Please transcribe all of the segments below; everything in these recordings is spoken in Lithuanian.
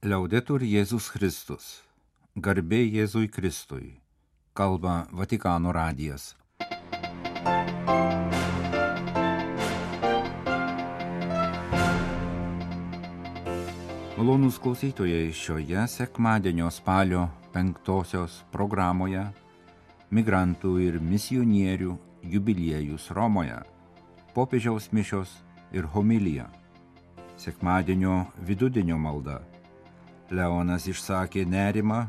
Liaudetur Jėzus Kristus. Garbė Jėzui Kristui. Kalba Vatikano radijas. Malonūs klausytojai, šioje sekmadienio spalio 5 programoje migrantų ir misionierių jubiliejus Romoje, popiežiaus mišios ir homilija. Sekmadienio vidudienio malda. Leonas išsakė nerimą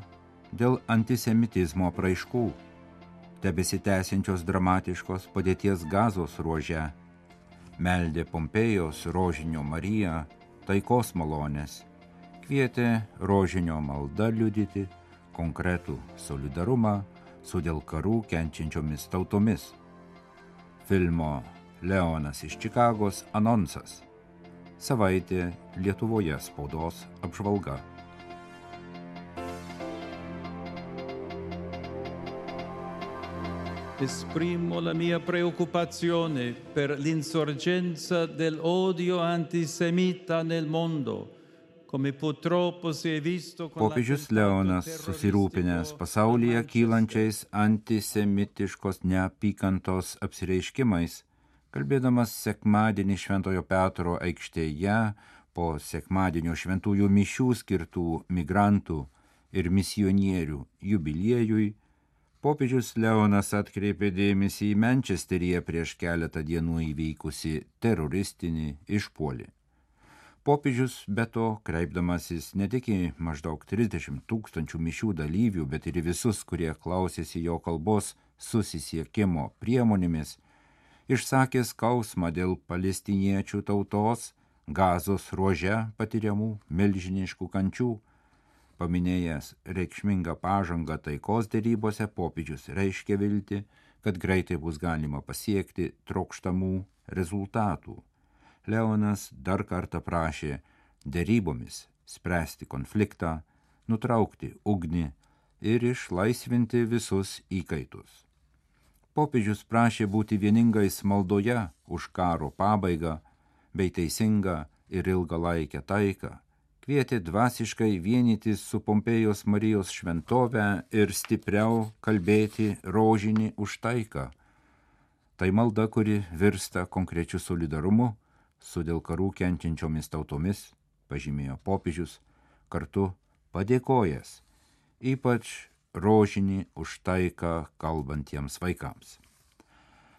dėl antisemitizmo apraiškų, tebesitęsiančios dramatiškos padėties Gazos ruože, meldė Pompėjos rožinio Mariją taikos malonės, kvietė rožinio malda liudyti konkretų solidarumą su dėl karų kenčiančiomis tautomis. Filmo Leonas iš Čikagos anonsas. Savaitė Lietuvoje spaudos apžvalga. Esprimo la mia preoccupazione per l'insorgenza dell'odio antisemita nel mondo, come purtroppo si è visto con Popiežius Leonas susirūpinęs pasaulyje kylančiais antisemitiškos neapykantos apsireiškimais, kalbėdamas sekmadienį Šventojo Petro aikštėje po sekmadienio šventųjų mišių skirtų migrantų ir misionierių jubiliejui, popiežius Leonas atkreipė dėmesį į Mančesteryje prieš keletą dienų įvykusį teroristinį išpuolį. Popiežius be to, kreipdamasis ne tik į maždaug 30 000 mišių dalyvių, bet ir į visus, kurie klausėsi jo kalbos susisiekimo priemonėmis, išsakė skausmą dėl palestiniečių tautos Gazos ruože patiriamų milžiniškų kančių. Paminėjęs reikšmingą pažangą taikos derybose, popiežius reiškė viltį, kad greitai bus galima pasiekti trokštamų rezultatų. Leonas dar kartą prašė derybomis spręsti konfliktą, nutraukti ugnį ir išlaisvinti visus įkaitus. Popiežius prašė būti vieningais maldoje už karo pabaigą bei teisingą ir ilgalaikę taiką, kvietė dvasiškai vienytis su Pompėjos Marijos šventove ir stipriau kalbėti rožinį už taiką. Tai malda, kuri virsta konkrečiu solidarumu su dėl karų kenčiančiomis tautomis, pažymėjo popiežius, kartu padėkojęs, ypač rožinį už taiką kalbantiems vaikams.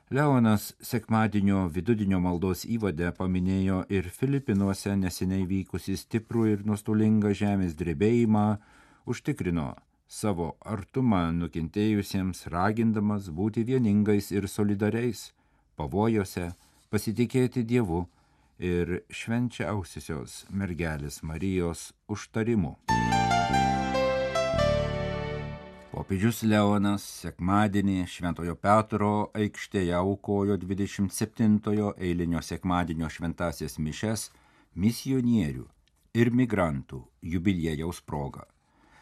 Leonas sekmadienio vidudienio maldos įvade paminėjo ir Filipinuose neseniai vykusį stiprų ir nuostolingą žemės drebėjimą, užtikrino savo artumą nukentėjusiems, ragindamas būti vieningais ir solidariais, pavojose pasitikėti Dievu ir švenčiausiosios mergelės Marijos užtarimu. Popiežius Leonas sekmadienį Šventojo Petro aikštėje aukojo 27-ojo eilinio sekmadienio šventąsias mišias misionierių ir migrantų jubiliejaus proga.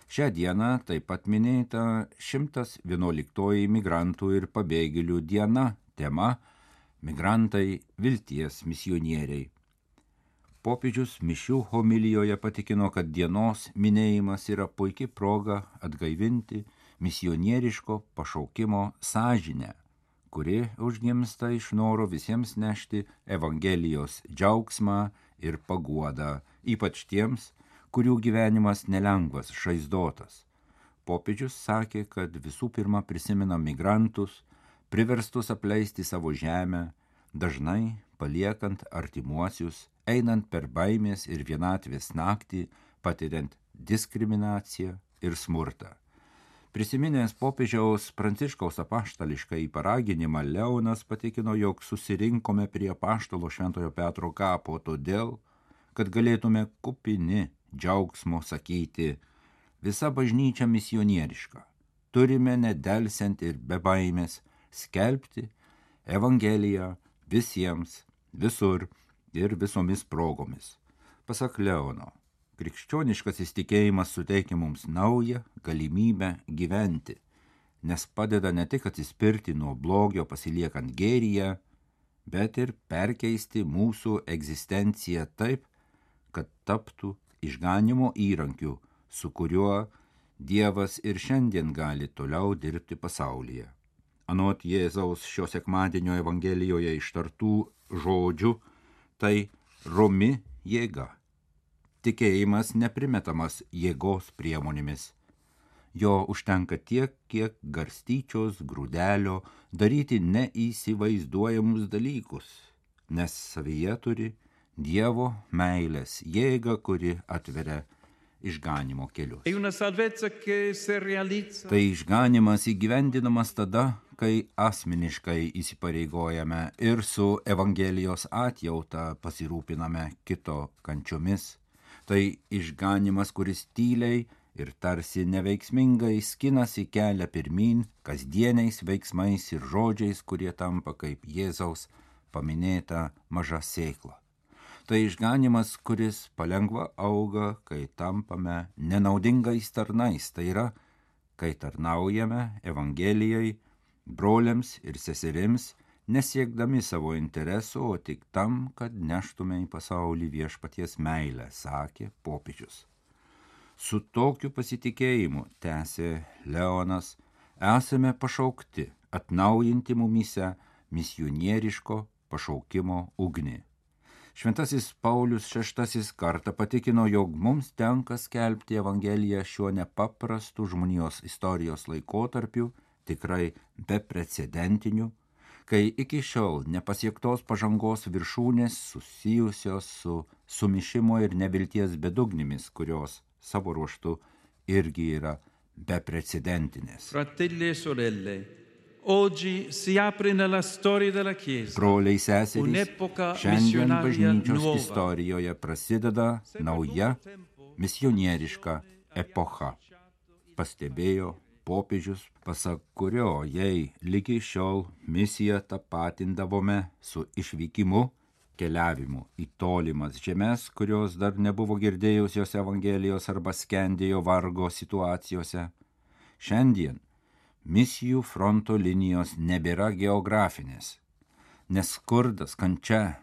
Šią dieną taip pat minėta 111-oji migrantų ir pabėgėlių diena, tema Migrantai vilties misionieriai. Popiežius mišių homilijoje patikino, kad dienos minėjimas yra puikia proga atgaivinti misionieriško pašaukimo sąžinę, kuri užgimsta iš noro visiems nešti Evangelijos džiaugsmą ir paguodą, ypač tiems, kurių gyvenimas nelengvas, žaizdotas. Popiežius sakė, kad visų pirma prisimena migrantus, priverstus apleisti savo žemę, dažnai paliekant artimuosius, einant per baimės ir vienatvės naktį, patiriant diskriminaciją ir smurtą. Prisiminęs popiežiaus Pranciškaus apaštališką paraginimą, Leonas patikino, jog susirinkome prie apaštalo Šventojo Petro kapo todėl, kad galėtume kupini džiaugsmo sakyti, visa bažnyčia misionieriška. Turime nedelsiant ir be baimės skelbti Evangeliją visiems, visur ir visomis progomis. Pasak Leono, krikščioniškas įsitikėjimas suteikia mums naują galimybę gyventi, nes padeda ne tik atsispirti nuo blogio pasiliekant gėryje, bet ir perkeisti mūsų egzistenciją taip, kad taptų išganimo įrankiu, su kuriuo Dievas ir šiandien gali toliau dirbti pasaulyje. Anot Jėzaus šio sekmadienio Evangelijoje ištartų žodžių, tai romi jėga. Tikėjimas neprimetamas jėgos priemonėmis. Jo užtenka tiek, kiek garstyčios grūdelio daryti neįsivaizduojamus dalykus, nes savyje turi Dievo meilės jėgą, kuri atveria išganimo kelius. Tai išganimas įgyvendinamas tada, kai asmeniškai įsipareigojame ir su Evangelijos atjauta pasirūpiname kito kančiomis. Tai išganimas, kuris tyliai ir tarsi neveiksmingai skinasi kelią pirmyn kasdieniais veiksmais ir žodžiais, kurie tampa kaip Jėzaus paminėta maža sėkla. Tai išganimas, kuris palengva auga, kai tampame nenaudingais tarnais, tai yra, kai tarnaujame Evangelijai, broliams ir seserims, nesiekdami savo interesų, o tik tam, kad neštume į pasaulį viešpaties meilę, sakė popiežius. Su tokiu pasitikėjimu, tęsė Leonas, esame pašaukti atnaujinti mumyse misionieriško pašaukimo ugnį. Šventasis Paulius VI kartą patikino, jog mums tenka skelbti Evangeliją šiuo nepaprastu žmonijos istorijos laikotarpiu, tikrai beprecedentiniu, kai iki šiol nepasiektos pažangos viršūnės susijusios su sumišimo ir nevilties bedugnėmis, kurios savo ruožtu irgi yra beprecedentinės. Fratelli e sorelle, oggi si apre nella storia della Chiesa. Broliai seserys, šiandien bažnyčios istorijoje prasideda nauja misionieriška epocha, pastebėjo popiežius, pasak kurio jei ligi šiol misiją tapatindavome su išvykimu, keliavimu į tolimas žemes, kurios dar nebuvo girdėjusios Evangelijos arba skendėjo vargo situacijose. Šiandien misijų fronto linijos nebėra geografinės, nes skurdas, kančia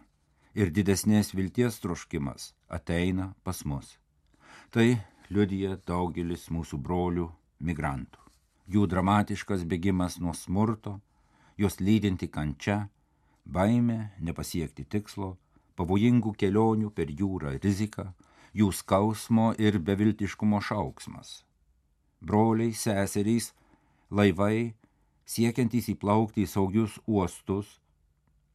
ir didesnės vilties troškimas ateina pas mus. Tai liudija daugelis mūsų brolių migrantų. Jų dramatiškas bėgimas nuo smurto, jos lydinti kančia, baimė nepasiekti tikslo, pavojingų kelionių per jūrą rizika, jų skausmo ir beviltiškumo šauksmas. Broliai, seserys, laivai, siekiantys įplaukti į saugius uostus,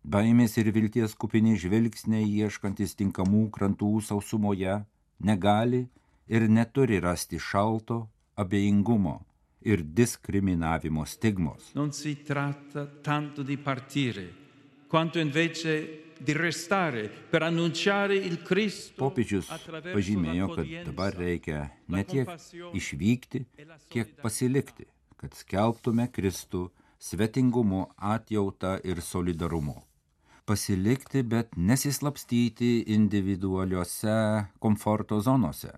baimės ir vilties kupini žvilgsniai ieškantis tinkamų krantų sausumoje, negali ir neturi rasti šalto abejingumo ir diskriminavimo stigmos. Non si tratta tanto di partire, quanto invece di restare per annunciare il Cristo. Popiežius pažymėjo, kad dabar reikia ne tiek išvykti, kiek pasilikti, kad skelbtume Kristų svetingumu, atjauta ir solidarumu. Pasilikti, bet nesislapstyti individualiuose komforto zonose.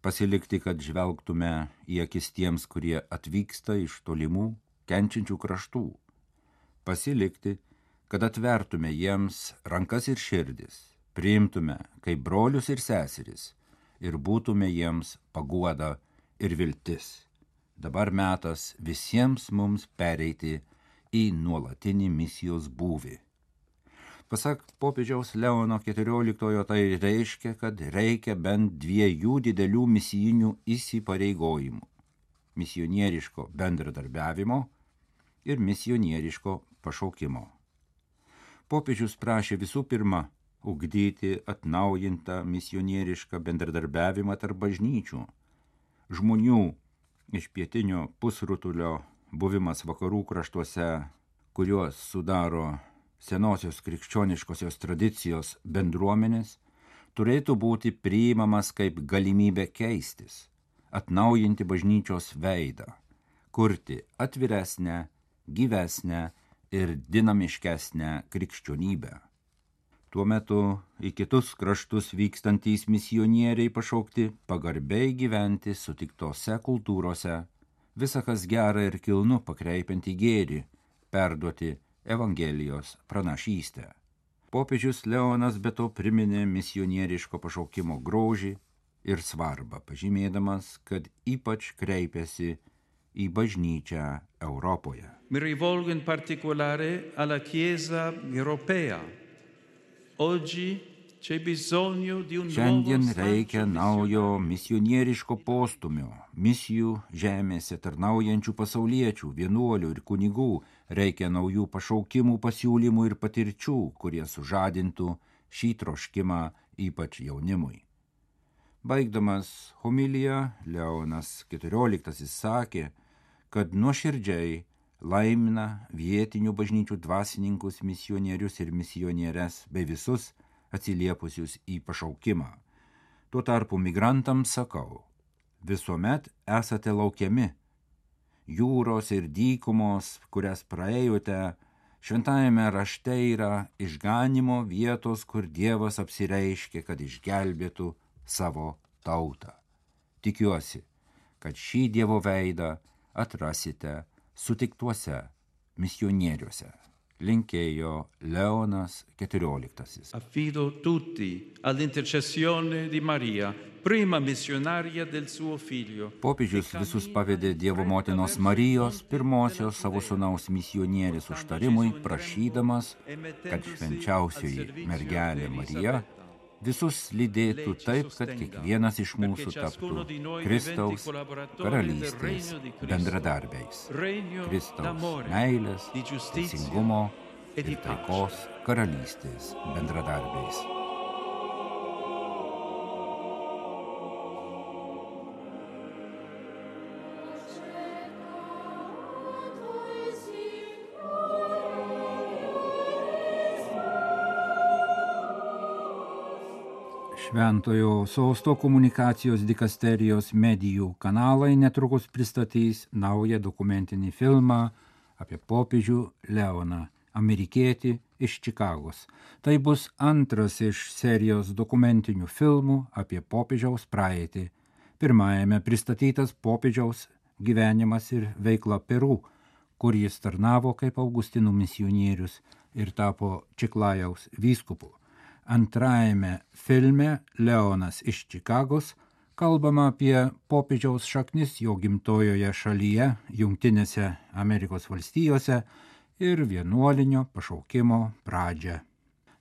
Pasilikti, kad žvelgtume į akis tiems, kurie atvyksta iš tolimų, kenčiančių kraštų. Pasilikti, kad atvertume jiems rankas ir širdis, priimtume kaip brolius ir seseris ir būtume jiems paguoda ir viltis. Dabar metas visiems mums pereiti į nuolatinį misijos būvį. Pasak popiežiaus Leono XIV, tai reiškia, kad reikia bent 2 didelių misijinių įsipareigojimų – misionieriško bendradarbiavimo ir misionieriško pašaukimo. Popiežius prašė visų pirma ugdyti atnaujintą misionierišką bendradarbiavimą tarp bažnyčių. Žmonių iš pietinio pusrutulio buvimas vakarų kraštuose, kuriuos sudaro senosios krikščioniškosios tradicijos bendruomenės, turėtų būti priimamas kaip galimybė keistis, atnaujinti bažnyčios veidą, kurti atviresnę, gyvesnę ir dinamiškesnę krikščionybę. Tuo metu į kitus kraštus vykstantys misionieriai pašaukti pagarbiai gyventi sutiktose kultūrose, visa kas gera ir kilnu pakreipiant į gėrį, perduoti Evangelijos pranašystę. Popiežius Leonas be to priminė misionieriško pašaukimo grožį ir svarbą, pažymėdamas, kad ypač kreipiasi į bažnyčią Europoje. Mi rivolgo in particolare alla Chiesa europea. Oggi c'è bisogno di un Šiandien reikia naujo misionieriško postumio, misijų žemėse tarnaujančių pasauliečių, vienuolių ir kunigų, reikia naujų pašaukimų, pasiūlymų ir patirčių, kurie sužadintų šį troškimą ypač jaunimui. Baigdamas homiliją, Leonas XIV sakė, kad nuoširdžiai laimina vietinių bažnyčių dvasininkus, misionierius ir misionierės bei visus atsiliepusius į pašaukimą. Tuo tarpu migrantams sakau, visuomet esate laukiami. Jūros ir dykumos, kurias praėjote, šventajame rašte yra išganymo vietos, kur Dievas apsireiškė, kad išgelbėtų savo tautą. Tikiuosi, kad šį Dievo veidą atrasite sutiktuose misionieriuose. Linkėjo Leonas XIV. Affido tutti all'intercessione di Maria, prima missionaria del suo figlio. Popiežius visus pavedė Dievo motinos Marijos, pirmosios savo sūnaus misionierės užtarimui, prašydamas, kad švenčiausioji mergelė Marija visus lydėtų taip, kad kiekvienas iš mūsų taptų Kristaus karalystės bendradarbiais. Kristaus meilės, teisingumo ir taikos karalystės bendradarbiais. Šventojo sosto komunikacijos dikasterijos medijų kanalai netrukus pristatys naują dokumentinį filmą apie popiežių Leoną, amerikietį iš Čikagos. Tai bus antras iš serijos dokumentinių filmų apie popiežiaus praeitį. Pirmajame pristatytas popiežiaus gyvenimas ir veikla Peru, kur jis tarnavo kaip Augustinų misionierius ir tapo Čiklajaus vyskupu. Antrajame filme Leonas iš Čikagos kalbama apie popiežiaus šaknis jo gimtojoje šalyje, Jungtinėse Amerikos valstijose ir vienuolinio pašaukimo pradžią.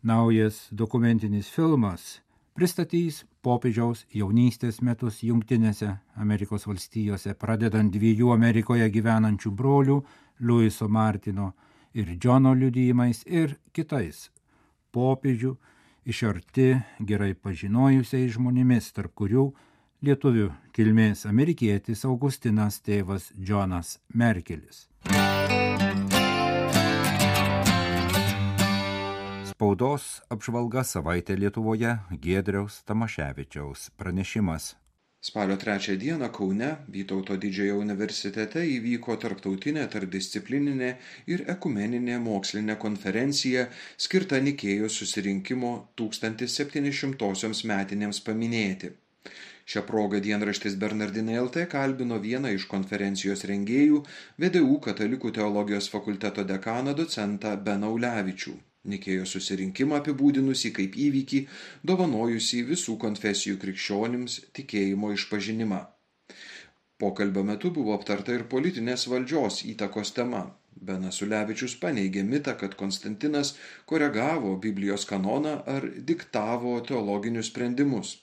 Naujas dokumentinis filmas pristatys popiežiaus jaunystės metus Jungtinėse Amerikos valstijose, pradedant 2 Amerikoje gyvenančių brolių, Luiso Martino ir Džono liudijimais ir kitais popiežių iš arti gerai pažinojusiais žmonėmis, tarp kurių lietuvių kilmės amerikietis Augustinas tėvas Džonas Merkelis. Spaudos apžvalga savaitė Lietuvoje, Giedriaus Tamaševičiaus pranešimas. Spalio 3 dieną Kaune Vytauto didžiojo universitete įvyko tarptautinė tarpdisciplininė ir ekumeninė mokslinė konferencija skirta Nikėjos susirinkimo 1700-osioms metinėms paminėti. Šią progą dienraštis Bernardinai LT kalbino vieną iš konferencijos rengėjų, VDU Katalikų teologijos fakulteto dekaną docentą Beną Ulevičių. Nikėjos susirinkimą apibūdinusi kaip įvykį, dovanojusį visų konfesijų krikščionims tikėjimo išpažinimą. Pokalbio metu buvo aptarta ir politinės valdžios įtakos tema. Benas Ulevičius paneigė mitą, kad Konstantinas koregavo Biblijos kanoną ar diktavo teologinius sprendimus.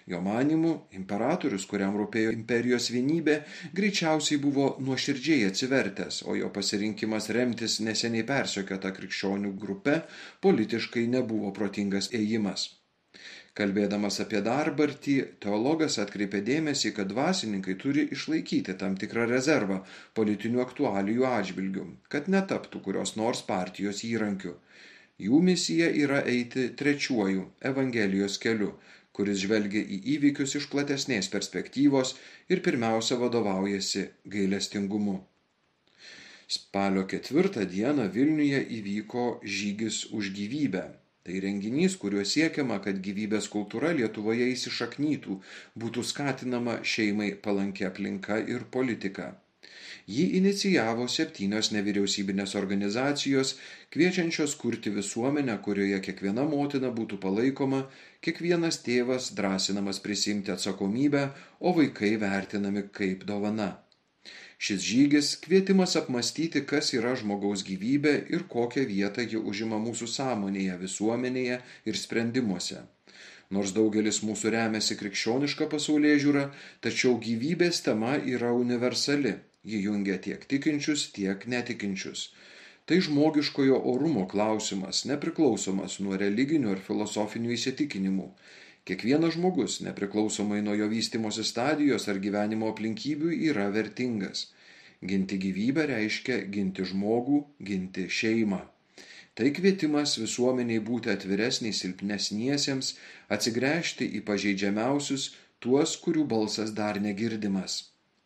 Jo manymu, imperatorius, kuriam rūpėjo imperijos vienybė, greičiausiai buvo nuoširdžiai atsivertęs, o jo pasirinkimas remtis neseniai persekiota krikščionių grupe politiškai nebuvo protingas ėjimas. Kalbėdamas apie dabartį, teologas atkreipė dėmesį, kad dvasininkai turi išlaikyti tam tikrą rezervą politinių aktualijų atžvilgių, kad netaptų kurios nors partijos įrankiu. Jų misija yra eiti trečiuoju Evangelijos keliu, kuris žvelgia į įvykius iš platesnės perspektyvos ir pirmiausia vadovaujasi gailestingumu. Spalio 4 dieną Vilniuje įvyko žygis už gyvybę. Tai renginys, kuriuo siekiama, kad gyvybės kultūra Lietuvoje įsišaknytų, būtų skatinama šeimai palanki aplinka ir politika. Jį inicijavo 7 nevyriausybinės organizacijos, kviečiančios kurti visuomenę, kurioje kiekviena motina būtų palaikoma, kiekvienas tėvas drąsinamas prisimti atsakomybę, o vaikai vertinami kaip dovana. Šis žygis kvietimas apmąstyti, kas yra žmogaus gyvybė ir kokią vietą ji užima mūsų sąmonėje, visuomenėje ir sprendimuose. Nors daugelis mūsų remiasi krikščioniška pasaulėžiūra, tačiau gyvybės tema yra universali. Ji jungia tiek tikinčius, tiek netikinčius. Tai žmogiškojo orumo klausimas, nepriklausomas nuo religinių ar filosofinių įsitikinimų. Kiekvienas žmogus, nepriklausomai nuo jo vystimosi stadijos ar gyvenimo aplinkybių, yra vertingas. Ginti gyvybę reiškia ginti žmogų, ginti šeimą. Tai kvietimas visuomeniai būti atviresniai silpnesniesiems, atsigręžti į pažeidžiamiausius, tuos, kurių balsas dar negirdimas.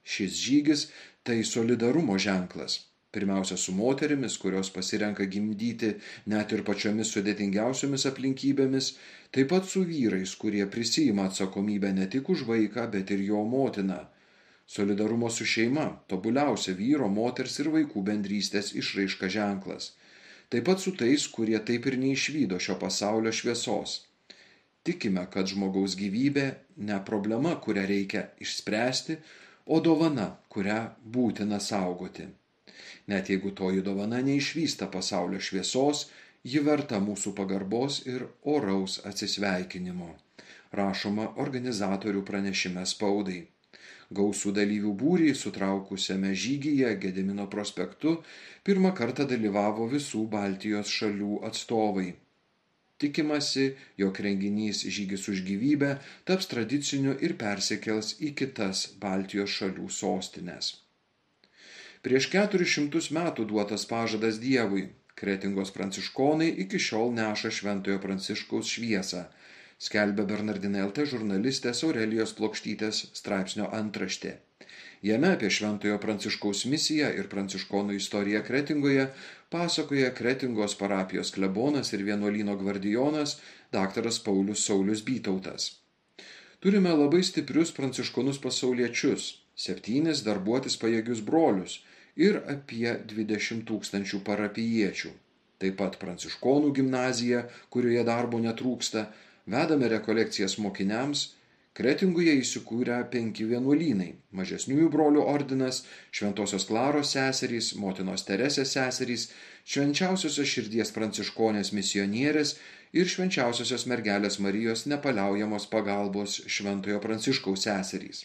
Šis žygis tai solidarumo ženklas. Pirmiausia su moterimis, kurios pasirenka gimdyti net ir pačiomis sudėtingiausiomis aplinkybėmis, taip pat su vyrais, kurie prisiima atsakomybę ne tik už vaiką, bet ir jo motiną. Solidarumo su šeima – tobuliausia vyro, moters ir vaikų bendrystės išraiška ženklas. Taip pat su tais, kurie taip ir neišvydo šio pasaulio šviesos. Tikime, kad žmogaus gyvybė ne problema, kurią reikia išspręsti, o dovana, kurią būtina saugoti. Net jeigu toji dovana neišvysta pasaulio šviesos, ji verta mūsų pagarbos ir oraus atsisveikinimo. Rašoma organizatorių pranešime spaudai. Gausų dalyvių būrį sutraukusiame žygyje Gedimino prospektu pirmą kartą dalyvavo visų Baltijos šalių atstovai. Tikimasi, jog renginys Žygis už gyvybę taps tradiciniu ir persikels į kitas Baltijos šalių sostines. Prieš 400 metų duotas pažadas Dievui. Kretingos pranciškonai iki šiol neša Šventojo Pranciškaus šviesą, skelbia Bernardinai LT žurnalistės Aurelijos Plokštytės straipsnio antraštė. Jame apie Šventojo Pranciškaus misiją ir pranciškonų istoriją Kretingoje pasakoja Kretingos parapijos klebonas ir vienuolyno gvardijonas daktaras Paulius Saulius Bytautas. Turime labai stiprius pranciškonus pasauliečius, 7 darbuotis pajėgius brolius ir apie 20 000 parapijiečių. Taip pat pranciškonų gimnazija, kurioje darbo netrūksta, vedame rekolekcijas mokiniams. Kretingoje įsikūrę 5 vienuolynai – Mažesniųjų brolių ordinas, Šventosios Klaros seserys, Motinos Teresės seserys, Švenčiausiosios širdies pranciškonės misionierės ir Švenčiausiosios mergelės Marijos nepaliaujamos pagalbos Šventojo Pranciškaus seserys.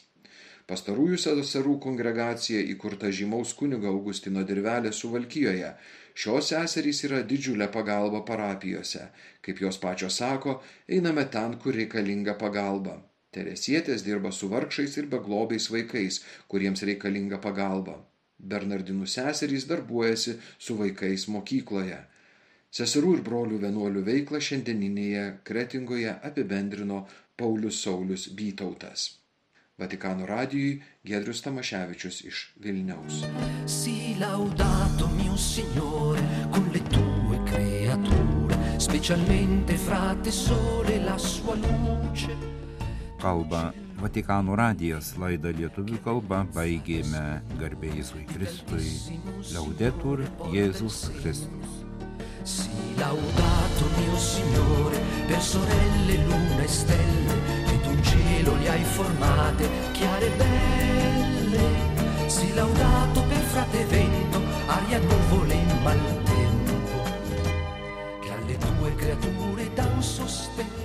Pastarųjų seserų kongregacija įkurta žymaus kunigo Augustino Dirvelės Suvalkijoje. Šios seserys yra didžiulė pagalba parapijose. Kaip jos pačios sako, einame ten, kur reikalinga pagalba. Teresietės dirba su vargšais ir beglobiais vaikais, kuriems reikalinga pagalba. Bernardinų seserys darbuojasi su vaikais mokykloje. Seserų ir brolių vienuolių veiklą šiandieninėje Kretingoje apibendrino Paulius Saulius Bytautas. Vatikano radijui Giedrius Tamaševičius iš Vilniaus. Sii laudato mio Signore con le tue creature, specialmente fra te sole la sua luce. Kalba Vatikano radijas, laidą lietuvių kalba baigėme garbė Jėzui Kristui, Laudetur Jėzus Kristus. Sii laudato mio Signore per sorelle, luna e stelle, che tu in cielo li hai formate, chiare e belle. Sii laudato per frate vento, aria, nuvole e maltempo, che alle tue creature dan sostento.